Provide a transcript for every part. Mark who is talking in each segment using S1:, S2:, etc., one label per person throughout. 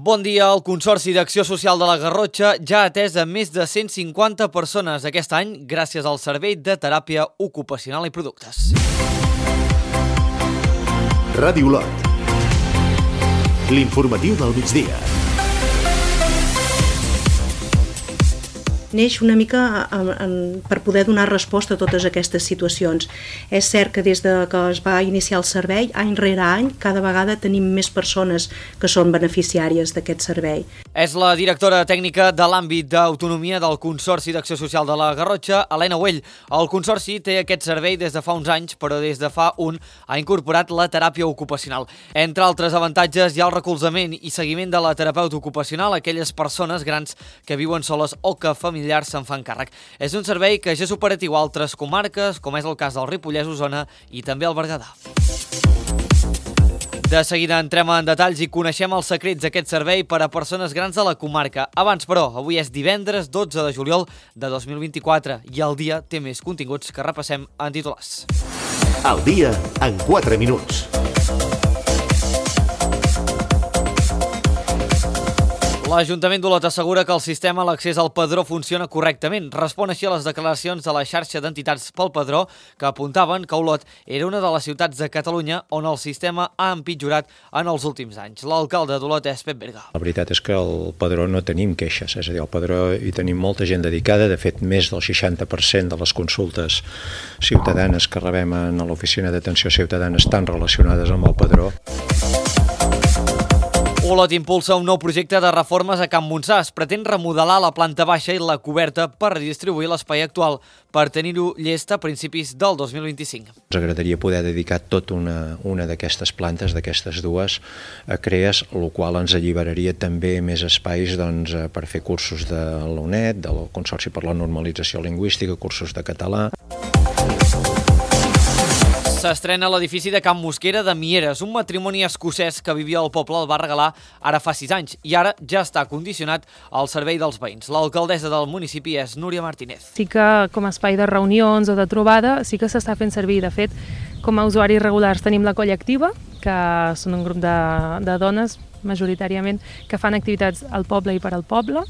S1: Bon dia. El Consorci d'Acció Social de la Garrotxa ja ha atès a més de 150 persones aquest any gràcies al servei de teràpia ocupacional i productes.
S2: Ràdio Lot. L'informatiu del migdia.
S3: Neix una mica per poder donar resposta a totes aquestes situacions. És cert que des que es va iniciar el servei, any rere any, cada vegada tenim més persones que són beneficiàries d'aquest servei.
S1: És la directora tècnica de l'àmbit d'autonomia del Consorci d'Acció Social de la Garrotxa, Helena Güell. El Consorci té aquest servei des de fa uns anys, però des de fa un ha incorporat la teràpia ocupacional. Entre altres avantatges hi ha el recolzament i seguiment de la terapeuta ocupacional a aquelles persones grans que viuen soles o que familiars se'n fan càrrec. És un servei que ja és operatiu a altres comarques, com és el cas del Ripollès, Osona i també el Berguedà. De seguida entrem en detalls i coneixem els secrets d'aquest servei per a persones grans de la comarca. Abans, però, avui és divendres 12 de juliol de 2024 i el dia té més continguts que repassem en titulars.
S2: El dia en 4 minuts.
S1: L'Ajuntament d'Olot assegura que el sistema a l'accés al padró funciona correctament. Respon així a les declaracions de la xarxa d'entitats pel padró que apuntaven que Olot era una de les ciutats de Catalunya on el sistema ha empitjorat en els últims anys. L'alcalde d'Olot és Pep Berga.
S4: La veritat és que al padró no tenim queixes, és a dir, al padró hi tenim molta gent dedicada, de fet més del 60% de les consultes ciutadanes que rebem a l'oficina d'atenció ciutadana estan relacionades amb el padró.
S1: Olot impulsa un nou projecte de reformes a Can Montsà. Es pretén remodelar la planta baixa i la coberta per redistribuir l'espai actual, per tenir-ho llest a principis del 2025.
S4: Ens agradaria poder dedicar tota una d'aquestes plantes, d'aquestes dues, a CREAS, el qual ens alliberaria també més espais per fer cursos de la UNED, del Consorci per la Normalització Lingüística, cursos de català.
S1: S'estrena l'edifici de Can Mosquera de Mieres, un matrimoni escocès que vivia al poble el va regalar ara fa 6 anys i ara ja està condicionat al servei dels veïns. L'alcaldessa del municipi és Núria Martínez.
S5: Sí que com a espai de reunions o de trobada sí que s'està fent servir. De fet, com a usuaris regulars tenim la colla activa, que són un grup de dones majoritàriament que fan activitats al poble i per al poble.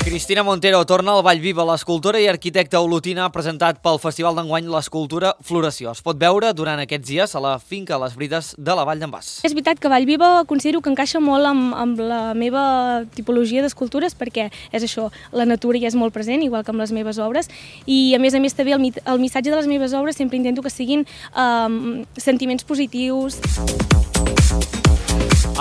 S1: Cristina Montero torna al Vallviva. L'escultora i arquitecta olotina ha presentat pel Festival d'enguany l'escultura Floració. Es pot veure durant aquests dies a la finca Les Brides de la Vall d'en Bas.
S6: És veritat que Vallviva considero que encaixa molt amb la meva tipologia d'escultures perquè és això, la natura hi és molt present, igual que amb les meves obres, i a més també el missatge de les meves obres sempre intento que siguin sentiments positius.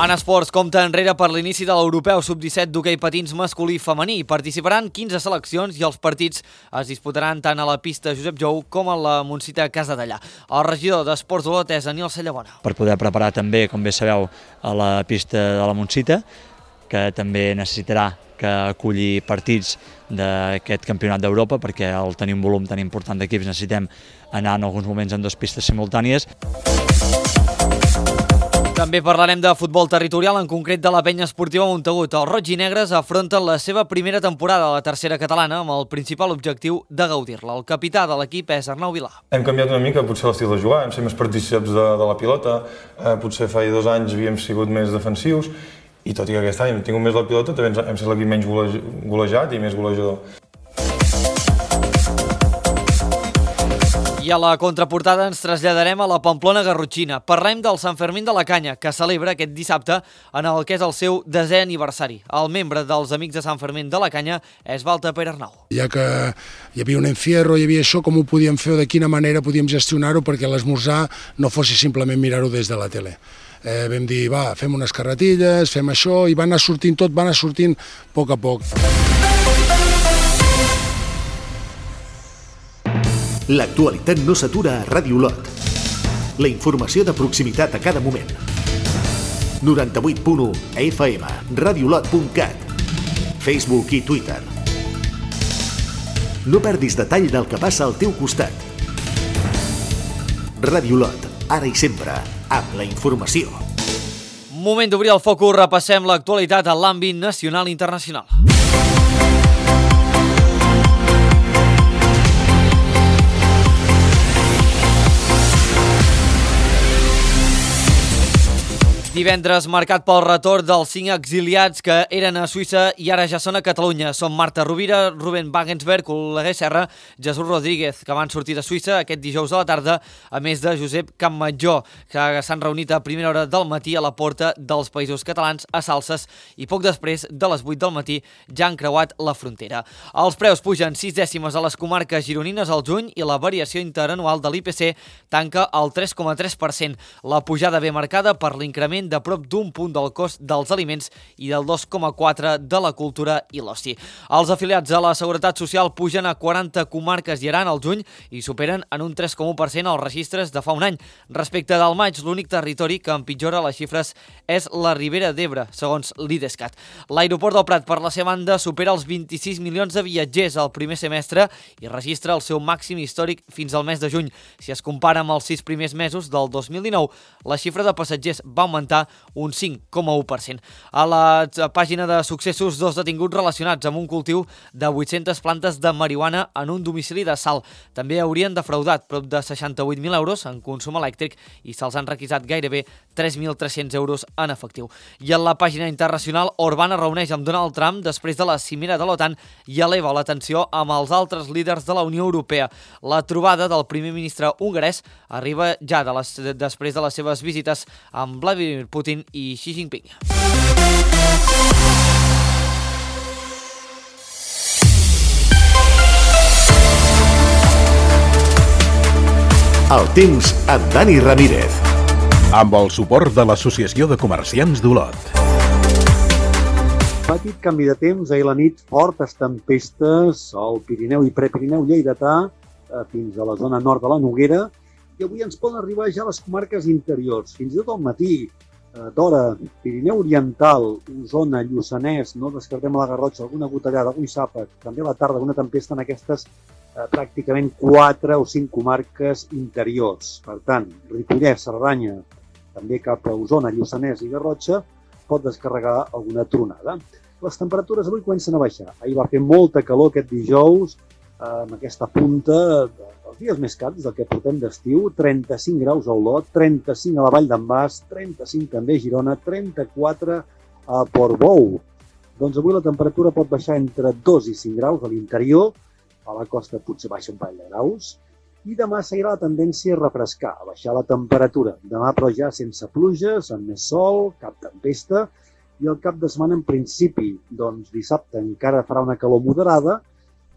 S1: En esports, compta enrere per l'inici de l'Europeu Sub-17 d'hoquei patins masculí i femení. Participaran 15 seleccions i els partits es disputaran tant a la pista Josep Jou com a la Montsita Casadellà. El regidor d'Esports d'Olot és Daniel Cellabona.
S7: Per poder preparar també, com bé sabeu, a la pista de la Montsita, que també necessitarà que aculli partits d'aquest campionat d'Europa, perquè al tenir un volum tan important d'equips necessitem anar en alguns moments en 2 pistes simultànies.
S1: També parlarem de futbol territorial, en concret de la penya esportiva Montagut. Els roig i negres afronten la seva primera temporada a la tercera catalana amb el principal objectiu de gaudir-la. El capità de l'equip és Arnau Vilà.
S8: Hem canviat una mica potser l'estil de jugar, hem sigut més partícips de la pilota, potser fa 2 anys havíem sigut més defensius i tot i que aquest any hem tingut més la pilota també hem estat l'equip menys golejat i més golejador.
S1: I a la contraportada ens traslladarem a la Pamplona garrotxina. Parlem del Sant Fermín de la Canya, que celebra aquest dissabte en el que és el seu 10è aniversari. El membre dels Amics de Sant Fermín de la Canya és Walter Pere Arnau.
S9: Ja que hi havia un encierro, hi havia això, com ho podíem fer o de quina manera podíem gestionar-ho perquè l'esmorzar no fos simplement mirar-ho des de la tele. Vam dir, va, fem unes carretilles, fem això, i va anar sortint tot, va anar sortint a poc a poc.
S2: L'actualitat no s'atura a Ràdio Lot. La informació de proximitat a cada moment. 98.1 FM, radiolot.cat, Facebook i Twitter. No perdis detall del que passa al teu costat. Ràdio Lot, ara i sempre, amb la informació.
S1: Moment d'obrir el focus, repassem l'actualitat a l'àmbit nacional i internacional. Divendres marcat pel retorn dels 5 exiliats que eren a Suïssa i ara ja són a Catalunya. Són Marta Rovira, Ruben Wagensberg, Oleguer Serra, Jesús Rodríguez, que van sortir de Suïssa aquest dijous a la tarda, a més de Josep Campmajor, que s'han reunit a primera hora del matí a la porta dels Països Catalans, a Salses, i poc després de les 8 del matí ja han creuat la frontera. Els preus pugen 6 dècimes a les comarques gironines al juny i la variació interanual de l'IPC tanca al 3,3%. La pujada ve marcada per l'increment de prop d'un punt del cost dels aliments i del 2,4% de la cultura i l'oci. Els afiliats a la Seguretat Social pugen a 40 comarques i Aran al juny i superen en un 3,1% els registres de fa un any. Respecte del maig, l'únic territori que empitjora les xifres és la Ribera d'Ebre, segons l'IDESCAT. L'aeroport del Prat, per la seva banda, supera els 26 milions de viatgers al primer semestre i registra el seu màxim històric fins al mes de juny. Si es compara amb els 6 primers mesos del 2019, la xifra de passatgers va augmentar un 5,1%. A la pàgina de successos, 2 detinguts relacionats amb un cultiu de 800 plantes de marihuana en un domicili de Salt. També haurien defraudat prop de 68.000 euros en consum elèctric i se'ls han requisat gairebé 3.300 euros en efectiu. I en la pàgina internacional, Orbán es reuneix amb Donald Trump després de la cimera de l'OTAN i eleva la tensió amb els altres líders de la Unió Europea. La trobada del primer ministre hongarès arriba ja després de les seves visites amb Vladimir Putin i Xi Jinping.
S2: El temps amb Dani Ramírez.
S10: Amb el suport de l'Associació de Comerciants d'Olot.
S11: Petit canvi de temps, ahir la nit, fortes tempestes al Pirineu i Prepirineu lleidatà fins a la zona nord de la Noguera, i avui ens poden arribar ja a les comarques interiors. Fins i tot al matí, d'hora, Pirineu Oriental, Osona, Lluçanès, no descartem a la Garrotxa, alguna gotellada, algun xàfec, també a la tarda alguna tempesta en aquestes pràcticament 4 o 5 comarques interiors. Per tant, Ripollès, Cerdanya, també cap a Osona, Lluçanès i Garrotxa, pot descarregar alguna tronada. Les temperatures avui comencen a baixar. Ahir va fer molta calor aquest dijous, amb aquesta punta dels dies més càlids del que portem d'estiu, 35 graus a Olot, 35 a la Vall d'en Bas, 35 també a Girona, 34 a Portbou. Doncs avui la temperatura pot baixar entre 2 i 5 graus a l'interior, a la costa potser baixa un parell de graus, i demà seguirà la tendència a refrescar, a baixar la temperatura. Demà però ja sense pluges, amb més sol, cap tempesta, i el cap de setmana en principi, doncs dissabte encara farà una calor moderada,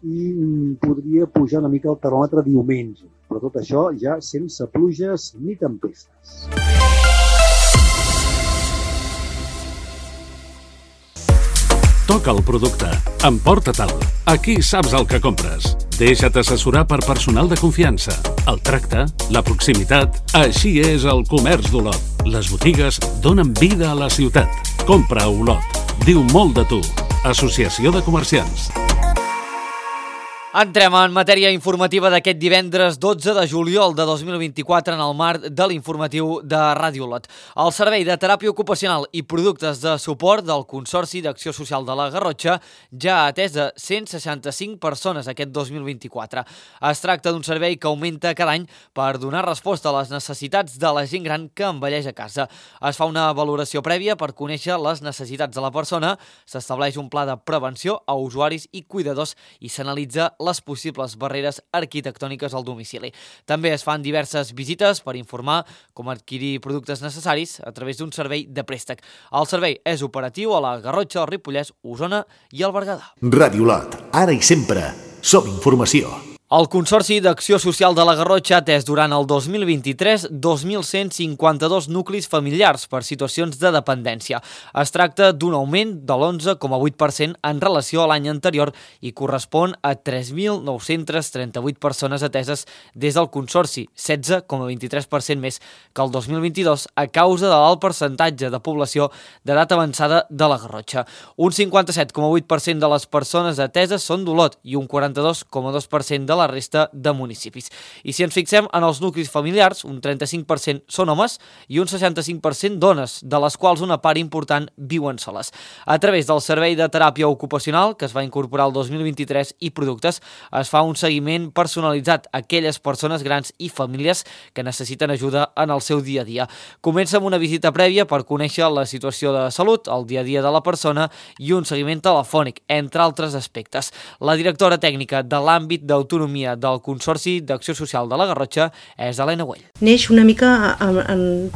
S11: i podria pujar una mica el termòmetre diumenge, però tot això ja sense pluges ni tempestes.
S12: Toca el producte, emporta-te'l, aquí saps el que compres. Deixa't assessorar per personal de confiança. El tracte, la proximitat, així és el comerç d'Olot. Les botigues donen vida a la ciutat. Compra a Olot. Diu molt de tu. Associació de Comerciants.
S1: Entrem en matèria informativa d'aquest divendres 12 de juliol de 2024 en el marc de l'informatiu de Ràdio Olot. El Servei de Teràpia Ocupacional i Productes de Suport del Consorci d'Acció Social de la Garrotxa ja ha atès a 165 persones aquest 2024. Es tracta d'un servei que augmenta cada any per donar resposta a les necessitats de la gent gran que envelleix a casa. Es fa una valoració prèvia per conèixer les necessitats de la persona, s'estableix un pla de prevenció a usuaris i cuidadors i s'analitza les possibles barreres arquitectòniques al domicili. També es fan diverses visites per informar com adquirir productes necessaris a través d'un servei de préstec. El servei és operatiu a la Garrotxa, el Ripollès, Osona i el Berguedà.
S2: Ràdio Olot, ara i sempre, som informació.
S1: El Consorci d'Acció Social de la Garrotxa ha atès durant el 2023 2.152 nuclis familiars per situacions de dependència. Es tracta d'un augment de l'11,8% en relació a l'any anterior i correspon a 3.938 persones ateses des del Consorci, 16,23% més que el 2022 a causa de l'alt percentatge de població d'edat avançada de la Garrotxa. Un 57,8% de les persones ateses són d'Olot i un 42,2% de la la resta de municipis. I si ens fixem en els nuclis familiars, un 35% són homes i un 65% dones, de les quals una part important viuen soles. A través del Servei de Teràpia Ocupacional, que es va incorporar el 2023, i productes, es fa un seguiment personalitzat a aquelles persones grans i famílies que necessiten ajuda en el seu dia a dia. Comença amb una visita prèvia per conèixer la situació de salut, el dia a dia de la persona i un seguiment telefònic, entre altres aspectes. La directora tècnica de l'àmbit d'autonomia del Consorci d'Acció Social de la Garrotxa és Helena Güell.
S3: Neix una mica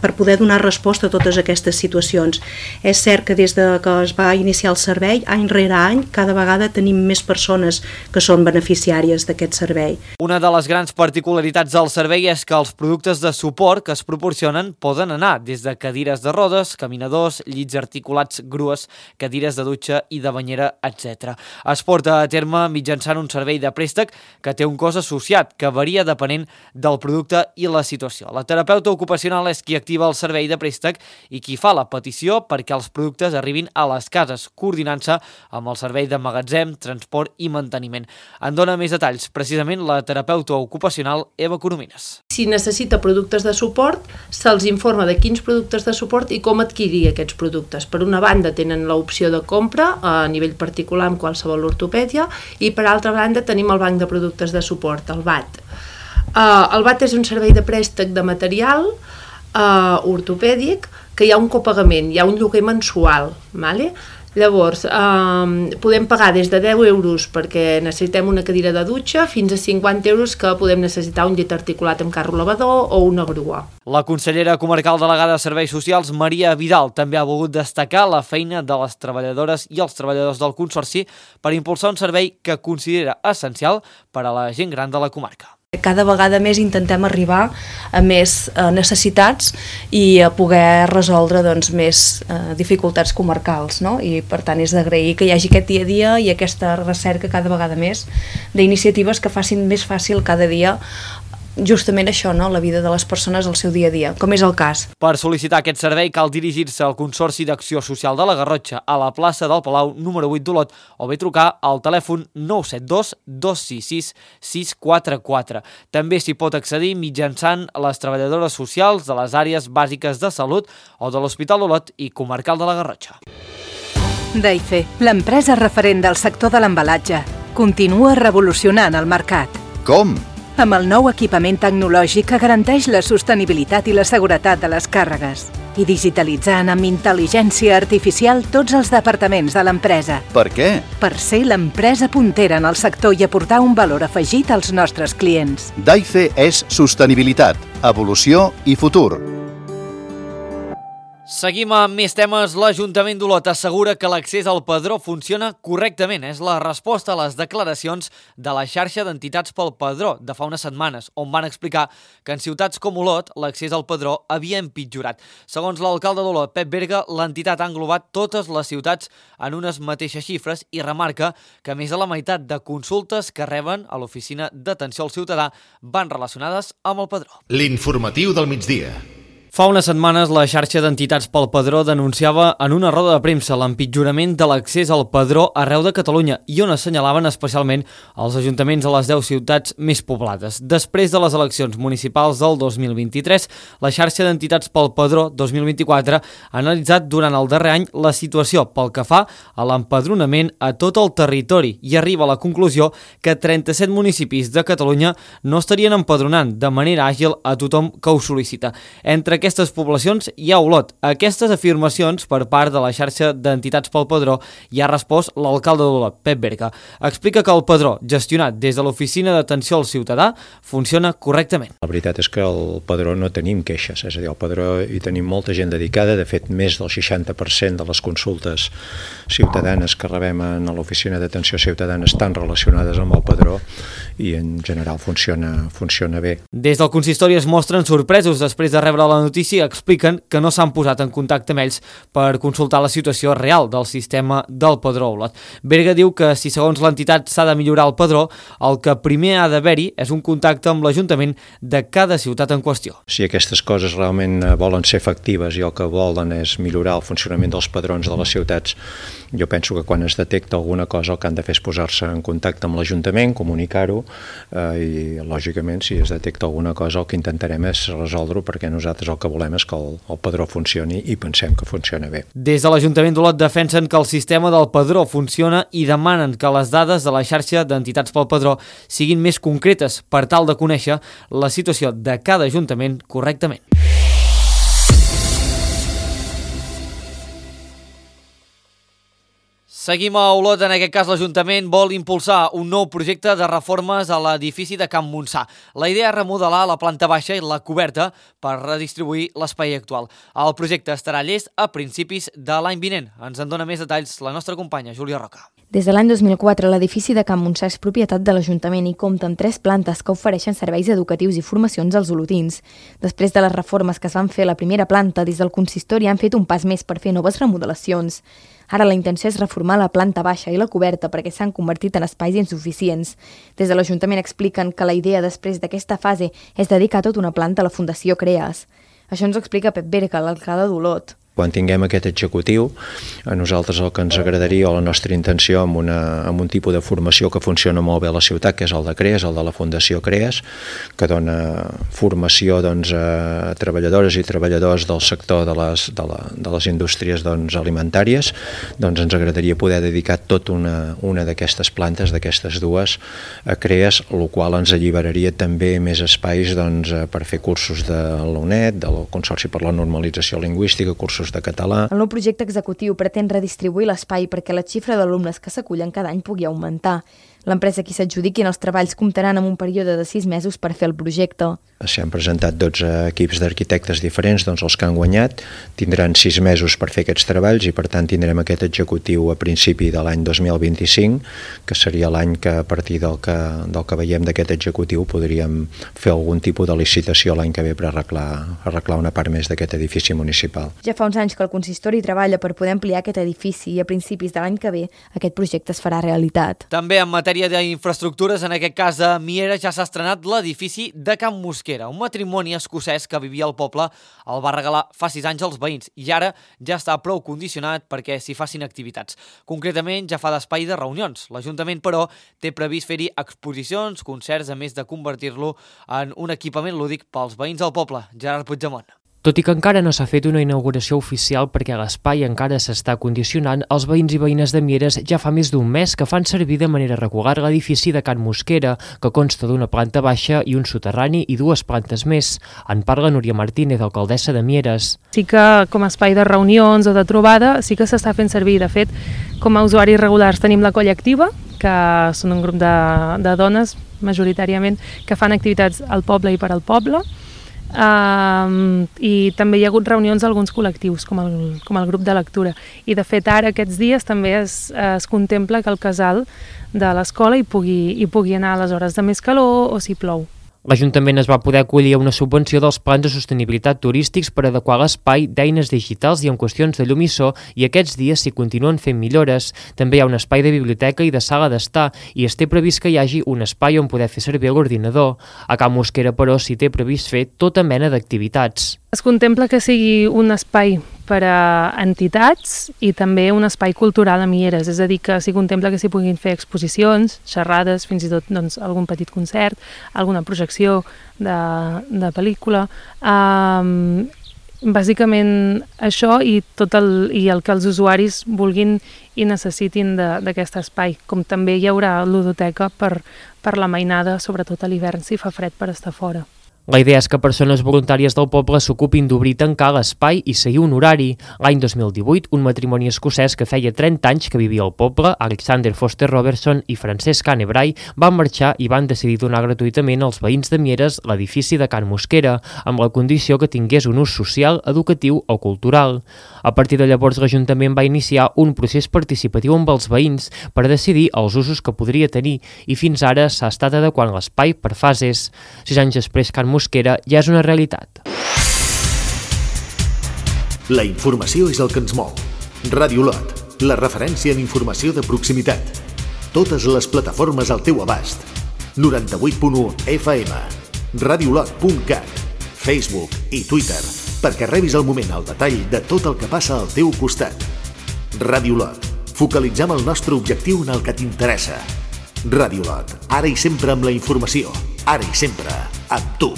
S3: per poder donar resposta a totes aquestes situacions. És cert que des que es va iniciar el servei, any rere any, cada vegada tenim més persones que són beneficiàries d'aquest servei.
S1: Una de les grans particularitats del servei és que els productes de suport que es proporcionen poden anar des de cadires de rodes, caminadors, llits articulats, grues, cadires de dutxa i de banyera, etc. Es porta a terme mitjançant un servei de préstec que té un cost associat, que varia depenent del producte i la situació. La terapeuta ocupacional és qui activa el servei de préstec i qui fa la petició perquè els productes arribin a les cases, coordinant-se amb el servei de magatzem, transport i manteniment. En dona més detalls, precisament, la terapeuta ocupacional Eva Coromines.
S13: Si necessita productes de suport, se'ls informa de quins productes de suport i com adquirir aquests productes. Per una banda tenen l'opció de compra a nivell particular amb qualsevol ortopèdia i per altra banda tenim el banc de productes de suport, el BAT. El BAT és un servei de préstec de material ortopèdic que hi ha un copagament, hi ha un lloguer mensual, ¿vale? Llavors, podem pagar des de 10 euros perquè necessitem una cadira de dutxa fins a 50 euros que podem necessitar un llit articulat amb carro lavador o una grua.
S1: La consellera comarcal delegada de Serveis Socials, Maria Vidal, també ha volgut destacar la feina de les treballadores i els treballadors del Consorci per impulsar un servei que considera essencial per a la gent gran de la comarca.
S14: Cada vegada més intentem arribar a més necessitats i a poder resoldre més dificultats comarcals, no? I per tant és d'agrair que hi hagi aquest dia a dia i aquesta recerca cada vegada més d'iniciatives que facin més fàcil cada dia justament això, no? La vida de les persones al seu dia a dia, com és el cas.
S1: Per sol·licitar aquest servei cal dirigir-se al Consorci d'Acció Social de la Garrotxa a la plaça del Palau número 8 d'Olot o bé trucar al telèfon 972 266 644. També s'hi pot accedir mitjançant les treballadores socials de les àrees bàsiques de salut o de l'Hospital d'Olot i Comarcal de la Garrotxa.
S15: Daife, l'empresa referent del sector de l'embalatge, continua revolucionant el mercat.
S16: Com?
S15: Amb el nou equipament tecnològic que garanteix la sostenibilitat i la seguretat de les càrregues i digitalitzant amb intel·ligència artificial tots els departaments de l'empresa.
S16: Per què?
S15: Per ser l'empresa puntera en el sector i aportar un valor afegit als nostres clients.
S16: Daife és sostenibilitat, evolució i futur.
S1: Seguim amb més temes. L'Ajuntament d'Olot assegura que l'accés al padró funciona correctament. És la resposta a les declaracions de la xarxa d'entitats pel padró de fa unes setmanes, on van explicar que en ciutats com Olot l'accés al padró havia empitjorat. Segons l'alcalde d'Olot, Pep Berga, l'entitat ha englobat totes les ciutats en unes mateixes xifres i remarca que més de la meitat de consultes que reben a l'Oficina d'Atenció al Ciutadà van relacionades amb el padró.
S2: L'informatiu del migdia.
S1: Fa unes setmanes, la xarxa d'entitats pel padró denunciava en una roda de premsa l'empitjorament de l'accés al padró arreu de Catalunya i on assenyalaven especialment els ajuntaments a les 10 ciutats més poblades. Després de les eleccions municipals del 2023, la xarxa d'entitats pel padró 2024 ha analitzat durant el darrer any la situació pel que fa a l'empadronament a tot el territori i arriba a la conclusió que 37 municipis de Catalunya no estarien empadronant de manera àgil a tothom que ho sol·licita. Entre aquestes poblacions hi ha Olot. Aquestes afirmacions per part de la xarxa d'entitats pel padró hi ha respost l'alcalde d'Olot, Pep Berga. Explica que el padró, gestionat des de l'Oficina d'Atenció al Ciutadà, funciona correctament.
S4: La veritat és que el padró no tenim queixes, és a dir, al padró hi tenim molta gent dedicada, de fet més del 60% de les consultes ciutadanes que rebem a l'Oficina d'Atenció Ciutadana estan relacionades amb el padró i en general funciona bé.
S1: Des del consistori es mostren sorpresos després de rebre la notícia, expliquen que no s'han posat en contacte amb ells per consultar la situació real del sistema del padró Olot. Berga diu que si segons l'entitat s'ha de millorar el padró, el que primer ha d'haver-hi és un contacte amb l'Ajuntament de cada ciutat en qüestió.
S4: Si aquestes coses realment volen ser efectives i el que volen és millorar el funcionament dels padrons de les ciutats, jo penso que quan es detecta alguna cosa el que han de fer és posar-se en contacte amb l'Ajuntament, comunicar-ho i lògicament si es detecta alguna cosa el que intentarem és resoldre-ho, perquè nosaltres el que volem és que el padró funcioni i pensem que funciona bé.
S1: Des de l'Ajuntament d'Olot defensen que el sistema del padró funciona i demanen que les dades de la xarxa d'entitats pel padró siguin més concretes per tal de conèixer la situació de cada ajuntament correctament. Seguim a Olot, en aquest cas l'Ajuntament vol impulsar un nou projecte de reformes a l'edifici de Can Montsà. La idea és remodelar la planta baixa i la coberta per redistribuir l'espai actual. El projecte estarà llest a principis de l'any vinent. Ens en dona més detalls la nostra companya Júlia Roca.
S17: Des de l'any 2004, l'edifici de Can Montsà és propietat de l'Ajuntament i compta amb 3 plantes que ofereixen serveis educatius i formacions als olotins. Després de les reformes que es van fer a la primera planta, des del consistori han fet un pas més per fer noves remodelacions. Ara la intenció és reformar la planta baixa i la coberta perquè s'han convertit en espais insuficients. Des de l'Ajuntament expliquen que la idea després d'aquesta fase és dedicar tota una planta a la Fundació CREAS. Això ens ho explica Pep Berga, l'alcalde d'Olot.
S4: Quan tinguem aquest executiu, a nosaltres el que ens agradaria o la nostra intenció amb un tipus de formació que funciona molt bé a la ciutat, que és el de CREAS, el de la Fundació CREAS, que dona formació a treballadores i treballadors del sector de les indústries alimentàries, ens agradaria poder dedicar tota una d'aquestes plantes, d'aquestes dues, a CREAS, el qual ens alliberaria també més espais per fer cursos de la UNED, del Consorci per la Normalització Lingüística, cursos de català.
S17: El nou projecte executiu pretén redistribuir l'espai perquè la xifra d'alumnes que s'acullen cada any pugui augmentar. L'empresa qui s'adjudiquin els treballs comptaran amb un període de 6 mesos per fer el projecte.
S4: S'han presentat 12 equips d'arquitectes diferents, els que han guanyat tindran 6 mesos per fer aquests treballs i per tant tindrem aquest executiu a principi de l'any 2025, que seria l'any que a partir del que veiem d'aquest executiu podríem fer algun tipus de licitació l'any que ve per arreglar una part més d'aquest edifici municipal.
S17: Ja fa uns anys que el consistori treballa per poder ampliar aquest edifici i a principis de l'any que ve aquest projecte es farà realitat.
S1: També en matèria d'infraestructures, en aquest cas a Mieres, ja s'ha estrenat l'edifici de Can Mosquera. Un matrimoni escocès que vivia al poble el va regalar fa 6 anys als veïns i ara ja està prou condicionat perquè s'hi facin activitats. Concretament, ja fa d'espai de reunions. L'Ajuntament, però, té previst fer-hi exposicions, concerts, a més de convertir-lo en un equipament lúdic pels veïns del poble. Gerard Puigdemont.
S18: Tot i que encara no s'ha fet una inauguració oficial perquè l'espai encara s'està condicionant, els veïns i veïnes de Mieres ja fa més d'un mes que fan servir de manera regular l'edifici de Can Mosquera, que consta d'una planta baixa i un soterrani i 2 plantes més. En parla Núria Martínez, alcaldessa de Mieres.
S5: Sí que com a espai de reunions o de trobada sí que s'està fent servir. De fet, com a usuaris regulars tenim la colla activa, que són un grup de dones, majoritàriament, que fan activitats al poble i per al poble. I també hi ha hagut reunions d'alguns col·lectius com el grup de lectura i de fet ara aquests dies també es contempla que el casal de l'escola hi pugui anar a les hores de més calor o si plou.
S18: L'Ajuntament es va poder acollir a una subvenció dels plans de sostenibilitat turístics per adequar l'espai d'eines digitals i en qüestions de llum i so i aquests dies s'hi continuen fent millores. També hi ha un espai de biblioteca i de sala d'estar i es té previst que hi hagi un espai on poder fer servir l'ordinador. A Can Mosquera, però, s'hi té previst fer tota mena d'activitats.
S5: Es contempla que sigui un espai per a entitats i també un espai cultural a Mieres, és a dir, que s'hi contempla que s'hi puguin fer exposicions, xerrades, fins i tot algun petit concert, alguna projecció de pel·lícula. Bàsicament això i el que els usuaris vulguin i necessitin d'aquest espai, com també hi haurà ludoteca per la mainada, sobretot a l'hivern si fa fred per estar fora.
S18: La idea és que persones voluntàries del poble s'ocupin d'obrir i tancar l'espai i seguir un horari. L'any 2018, un matrimoni escocès que feia 30 anys que vivia al poble, Alexander Foster Robertson i Francesc Anne Bray, van marxar i van decidir donar gratuïtament als veïns de Mieres l'edifici de Can Mosquera, amb la condició que tingués un ús social, educatiu o cultural. A partir de llavors, l'Ajuntament va iniciar un procés participatiu amb els veïns per decidir els usos que podria tenir i fins ara s'ha estat adequant l'espai per fases. 6 anys després, Can Mosquera ja és una realitat.
S2: La informació és el que ens mou. Ràdio Olot, la referència en informació de proximitat. Totes les plataformes al teu abast. 98.1 FM, radioolot.cat, Facebook i Twitter, perquè rebis al moment el detall de tot el que passa al teu costat. Ràdio Olot, focalitzem el nostre objectiu en el que t'interessa. Ràdio Lot, ara i sempre amb la informació, ara i sempre amb tu.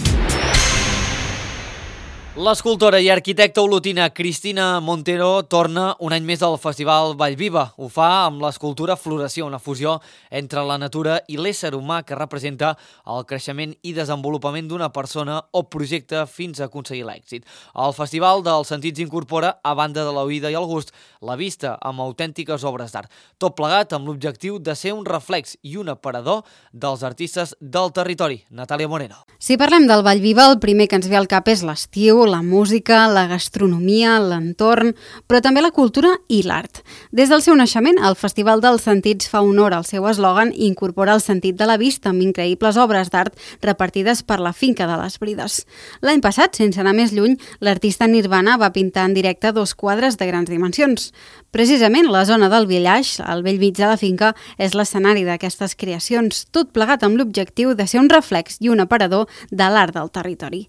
S1: L'escultora i arquitecta olotina Cristina Montero torna un any més al Festival Vallviva. Ho fa amb l'escultura Floració, una fusió entre la natura i l'ésser humà que representa el creixement i desenvolupament d'una persona o projecte fins a aconseguir l'èxit. El Festival dels Sentits incorpora, a banda de l'oïda i el gust, la vista amb autèntiques obres d'art. Tot plegat amb l'objectiu de ser un reflex i un aparador dels artistes del territori. Natàlia Moreno.
S19: Si parlem del Vallviva, el primer que ens ve al cap és l'estiu, la música, la gastronomia, l'entorn, però també la cultura i l'art. Des del seu naixement, el Festival dels Sentits fa honor al seu eslògan i incorpora el sentit de la vista amb increïbles obres d'art repartides per la finca de les Brides. L'any passat, sense anar més lluny, l'artista Nirvana va pintar en directe 2 quadres de grans dimensions. Precisament la zona del Villaix, al bell mig de la finca, és l'escenari d'aquestes creacions, tot plegat amb l'objectiu de ser un reflex i un aparador de l'art del territori.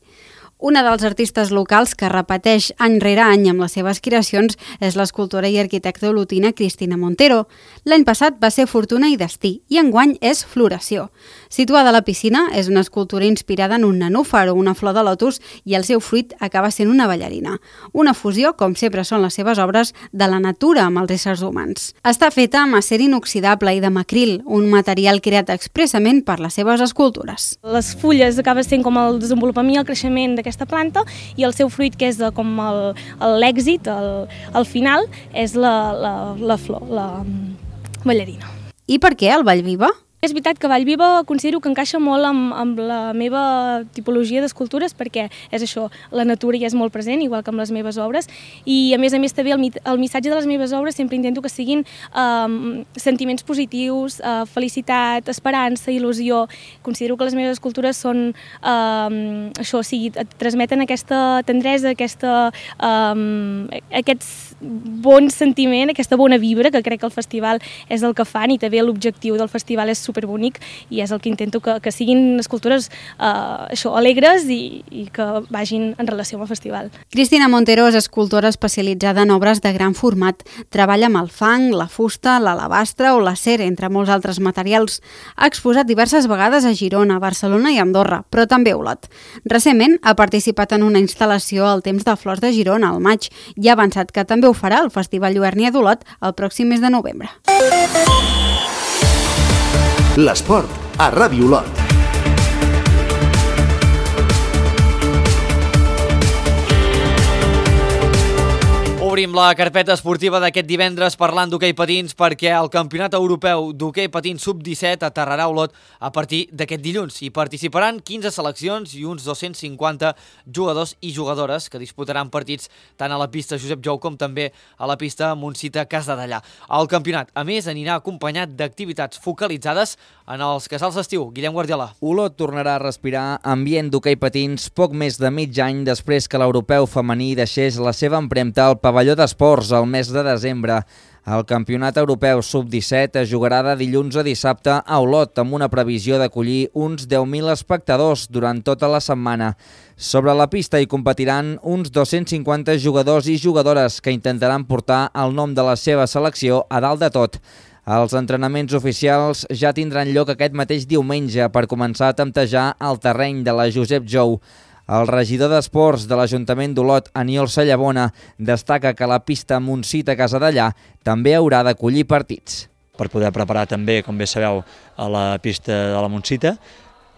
S19: Una dels artistes locals que repeteix any rere any amb les seves creacions és l'escultora i arquitecta olotina Cristina Montero. L'any passat va ser Fortuna i Destí i enguany és Floració. Situada a la piscina, és una escultura inspirada en un nenúfar o una flor de lotus i el seu fruit acaba sent una ballarina. Una fusió, com sempre són les seves obres, de la natura amb els éssers humans. Està feta amb acer inoxidable i de macril, un material creat expressament per les seves escultures.
S6: Les fulles acaba sent com el desenvolupament i el creixement d'aquesta planta i el seu fruit, que és com l'èxit, el final, és la flor, la ballarina.
S19: I per què el Vallviva?
S6: És veritat que Vallviva considero que encaixa molt amb la meva tipologia d'escultures perquè és això, la natura hi és molt present, igual que amb les meves obres, i a més també el missatge de les meves obres sempre intento que siguin sentiments positius, felicitat, esperança, il·lusió. Considero que les meves escultures són això, o sigui, et transmeten aquesta tendresa, aquest bon sentiment, aquesta bona vibra, que crec que el festival és el que fan, i també l'objectiu del festival és superbonic i és el que intento que siguin escultures alegres i que vagin en relació amb el festival.
S19: Cristina Montero és escultora especialitzada en obres de gran format. Treballa amb el fang, la fusta, l'alabastre o l'acer, entre molts altres materials. Ha exposat diverses vegades a Girona, Barcelona i Andorra, però també a Olot. Recentment ha participat en una instal·lació al Temps de Flors de Girona, al maig, i ha avançat que també ho farà al Festival Lluernia d'Olot el pròxim mes de novembre.
S2: L'esport a Ràdio Lot.
S1: Obrim la carpeta esportiva d'aquest divendres parlant d'hoquei patins perquè el Campionat Europeu d'Hoquei Patins Sub-17 aterrarà a Olot a partir d'aquest dilluns. Hi participaran 15 seleccions i uns 250 jugadors i jugadores que disputaran partits tant a la pista Josep Jou com també a la pista Montsita Casdellà. El campionat, a més, anirà acompanyat d'activitats focalitzades en els casals d'estiu. Guillem Guardiola.
S20: Olot tornarà a respirar ambient d'hoquei patins poc més de mig any després que l'europeu femení deixés la seva empremta al pavelló d'esports el mes de desembre. El Campionat Europeu Sub-17 es jugarà de dilluns a dissabte a Olot amb una previsió d'acollir uns 10.000 espectadors durant tota la setmana. Sobre la pista hi competiran uns 250 jugadors i jugadores que intentaran portar el nom de la seva selecció a dalt de tot. Els entrenaments oficials ja tindran lloc aquest mateix diumenge per començar a temptejar el terreny de la Josep Jou. El regidor d'Esports de l'Ajuntament d'Olot, Aniol Sallabona, destaca que la pista Montsita Casdellà també haurà d'acollir partits.
S7: Per poder preparar també, com bé sabeu, a la pista de la Montsita,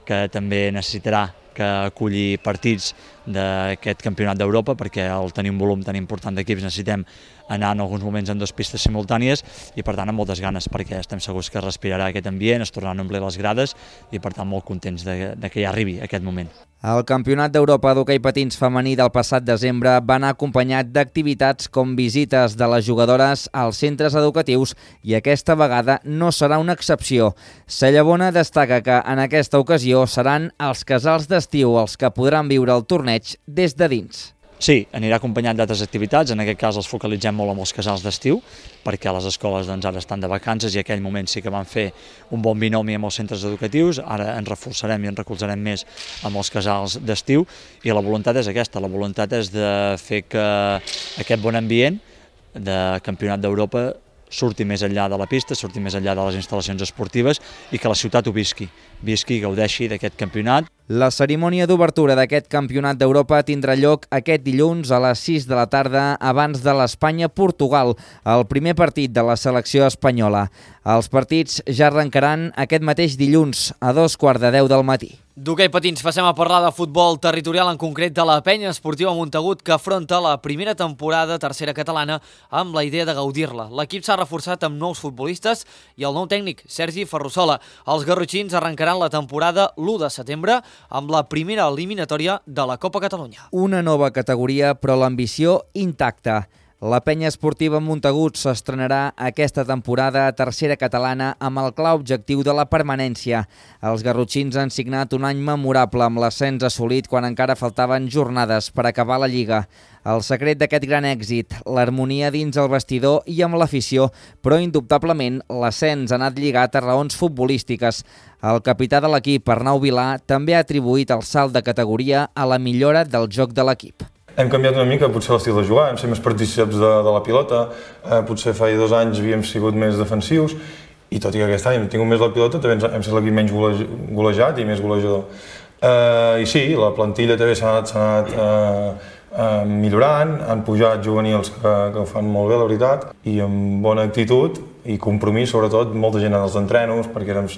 S7: que també necessitarà que aculli partits d'aquest campionat d'Europa, perquè al tenir un volum tan important d'equips necessitem anar en alguns moments en 2 pistes simultànies i per tant amb moltes ganes, perquè estem segurs que respirarà aquest ambient, es tornaran a omplir les grades i per tant molt contents de que ja arribi aquest moment.
S20: El Campionat d'Europa d'Hoquei Patins femení del passat desembre va anar acompanyat d'activitats com visites de les jugadores als centres educatius i aquesta vegada no serà una excepció. Sallabona destaca que en aquesta ocasió seran els casals d'estiu els que podran viure el torneig des de dins.
S7: Sí, anirà acompanyat d'altres activitats, en aquest cas els focalitzem molt amb els casals d'estiu, perquè les escoles ara estan de vacances i en aquell moment sí que van fer un bon binomi amb els centres educatius, ara ens reforçarem i ens recolzarem més amb els casals d'estiu i la voluntat és aquesta, la voluntat és de fer que aquest bon ambient de Campionat d'Europa surti més enllà de la pista, surti més enllà de les instal·lacions esportives i que la ciutat ho visqui, gaudeixi d'aquest campionat.
S20: La cerimònia d'obertura d'aquest campionat d'Europa tindrà lloc aquest dilluns a les 6 de la tarda abans de l'Espanya-Portugal, el primer partit de la selecció espanyola. Els partits ja arrencaran aquest mateix dilluns a 2:15 del matí.
S1: D'hoquei patins passem a parlar de futbol territorial, en concret de la Penya Esportiva Montagut, que afronta la primera temporada tercera catalana amb la idea de gaudir-la. L'equip s'ha reforçat amb nous futbolistes i el nou tècnic, Sergi Ferrusola. Els garrotxins arrencaran la temporada l'1 de setembre amb la primera eliminatòria de la Copa Catalunya.
S20: Una nova categoria, però l'ambició intacta. La Penya Esportiva Montagut s'estrenarà aquesta temporada a tercera catalana amb el clar objectiu de la permanència. Els garrotxins han signat un any memorable amb l'ascens assolit quan encara faltaven jornades per acabar la Lliga. El secret d'aquest gran èxit, l'harmonia dins el vestidor i amb l'afició, però indubtablement l'ascens ha anat lligat a raons futbolístiques. El capità de l'equip, Arnau Vilà, també ha atribuït el salt de categoria a la millora del joc de l'equip.
S8: Hem canviat una mica, potser l'estil de jugar, hem sigut més partícips de la pilota, potser fa 2 anys havíem sigut més defensius, i tot i que aquest any hem tingut més la pilota, també hem sigut l'equip menys golejat i més golejador. I sí, la plantilla també s'ha anat millorant, han pujat juvenils que ho fan molt bé, la veritat, i amb bona actitud i compromís, sobretot, molta gent als entrenos, perquè érem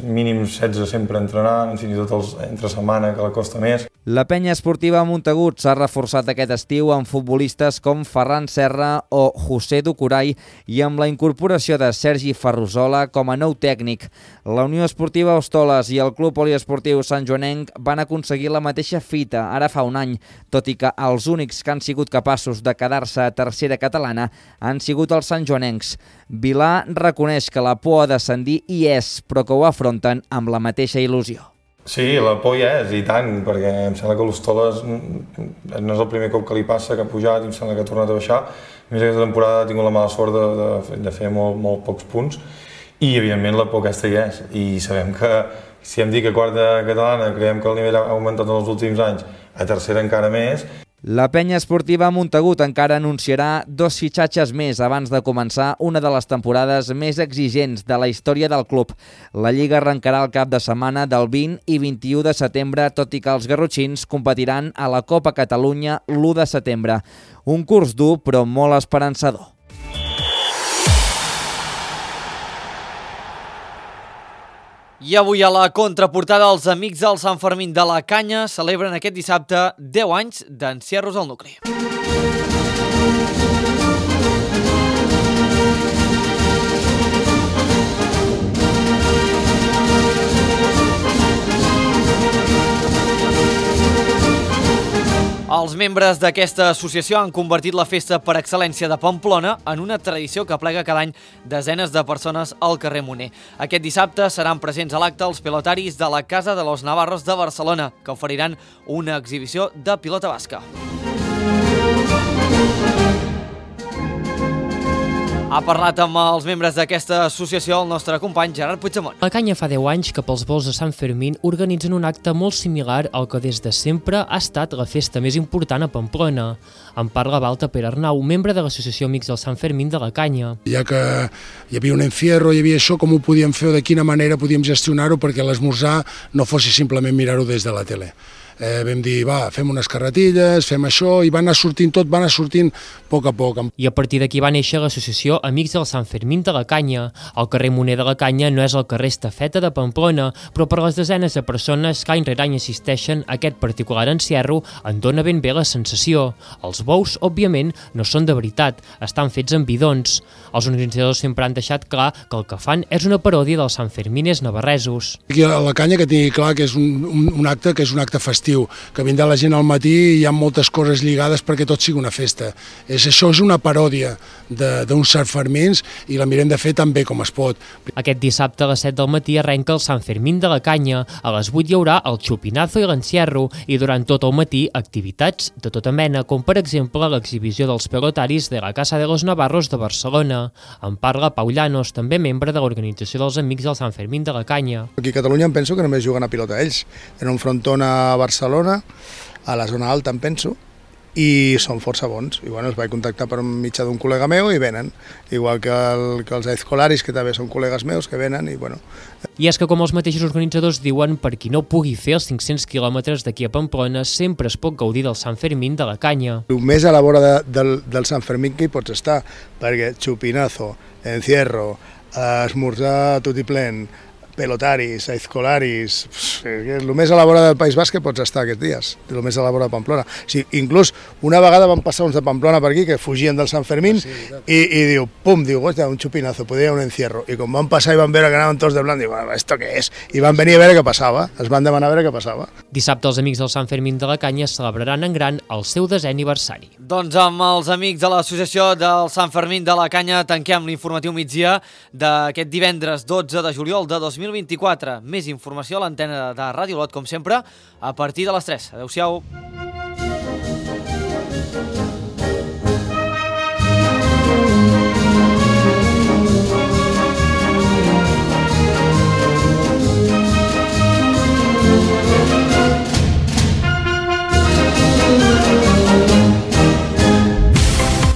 S8: mínims 16 sempre entrenant, fins i tot entre setmana, que la costa més.
S20: La Penya Esportiva Montagut s'ha reforçat aquest estiu amb futbolistes com Ferran Serra o José Ducuray i amb la incorporació de Sergi Ferrusola com a nou tècnic. La Unió Esportiva Hostoles i el Club Poliesportiu Sant Joanenc van aconseguir la mateixa fita ara fa un any, tot i que els únics que han sigut capaços de quedar-se a tercera catalana han sigut els santjoanencs. Vilà reconeix que la por a descendir hi és, però que ho afronten amb la mateixa il·lusió.
S8: Sí, la por hi és, i tant, perquè em sembla que l'Hostoles no és el primer cop que li passa, que ha pujat i em sembla que ha tornat a baixar. A més, aquesta temporada ha tingut la mala sort de fer molt pocs punts i, evidentment, la por aquesta hi és. I sabem que, si hem dit que a quarta catalana creiem que el nivell ha augmentat en els últims anys, a tercera encara més.
S20: La Penya Esportiva Montagut encara anunciarà 2 fitxatges més abans de començar una de les temporades més exigents de la història del club. La Lliga arrencarà el cap de setmana del 20 i 21 de setembre, tot i que els garrotxins competiran a la Copa Catalunya l'1 de setembre. Un curs dur, però molt esperançador.
S1: I avui a la contraportada els amics del Sant Fermín de la Canya celebren aquest dissabte 10 anys d'encierros al nucli. Els membres d'aquesta associació han convertit la festa per excel·lència de Pamplona en una tradició que aplega cada any desenes de persones al carrer Moner. Aquest dissabte seran presents a l'acte els pilotaris de la Casa de los Navarros de Barcelona, que oferiran una exhibició de pilota basca. Ha parlat amb els membres d'aquesta associació el nostre company Gerard Puigdemont.
S18: La Canya fa 10 anys que pels volts de Sant Fermín organitzen un acte molt similar al que des de sempre ha estat la festa més important a Pamplona. En parla Balta Per Arnau, membre de l'associació Amics del Sant Fermín de la Canya.
S9: Ja que hi havia un encierro, hi havia això, com ho podíem fer o de quina manera podíem gestionar-ho perquè l'esmorzar no fos simplement mirar-ho des de la tele. Vam dir, fem unes carretilles, fem això, i va anar sortint tot, va anar sortint a poc a poc.
S18: I a partir d'aquí va néixer l'associació Amics del Sant Fermín de la Canya. El carrer Moner de la Canya no és el carrer Estafeta de Pamplona, però per les desenes de persones que any rere any assisteixen a aquest particular encierro en dona ben bé la sensació. Els bous, òbviament, no són de veritat, estan fets amb bidons. Els organitzadors sempre han deixat clar que el que fan és una paròdia dels Sanfermines navarresos.
S9: Aquí a la Canya que tingui clar que és un acte festiu, que vindrà la gent al matí i hi ha moltes coses lligades perquè tot sigui una festa. Això és una paròdia d'uns Sanfermins i la mirem de fer tan bé com es pot.
S18: Aquest dissabte a les 7 del matí arrenca el Sant Fermín de la Canya. A les 8 hi haurà el xupinazo i l'encierro i durant tot el matí activitats de tota mena, com per exemple l'exhibició dels pelotaris de la Casa de los Navarros de Barcelona. En parla Pau Llanos, també membre de l'organització dels Amics del Sant Fermín de la Canya.
S21: Aquí a Catalunya em penso que només juguen a pilota ells. Tenen un frontón a Barcelona, a la zona alta em penso,
S9: i són força bons. I bueno, els vaig contactar per mitjà d'un col·lega meu i venen, igual que els Aizkolaris, que també són col·legues meus que venen i bueno.
S18: I és que, com els mateixos organitzadors diuen, per qui no pugui fer els 500 quilòmetres d'aquí a Pamplona, sempre es pot gaudir del Sant Fermín de la canya.
S9: El més a la vora del Sant Fermín que hi pots estar, perquè xupinazo, encierro, esmorzar tutiplén, pelotaris, aizkolaris, el més a la vora del País Basc que pots estar aquests dies, el més a la vora de Pamplona. Sí, inclús una vegada van passar uns de Pamplona per aquí que fugien del Sant Fermín i diu, pum, diu, un xupinazo, podia un encierro. I quan van passar i van veure que anaven tots de blanc, diu, ¿esto què és? I van venir a veure què passava, es van demanar a veure què passava.
S18: Dissabte els amics del Sant Fermín de la Canya celebraran en gran el seu 10è aniversari.
S1: Doncs amb els amics de l'associació del Sant Fermín de la Canya tanquem l'informatiu migdia d'aquest divendres 12 de juliol de 2024. Més informació a l'antena de Ràdio Lot, com sempre, a partir de les 3. Adéu-siau.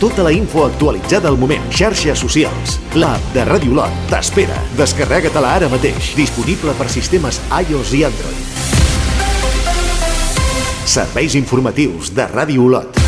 S2: Tota la info actualitzada al moment. Xarxes socials. L'app de Ràdio Lot t'espera. Descarrega-te-la ara mateix. Disponible per sistemes iOS i Android. Serveis informatius de Ràdio Lot.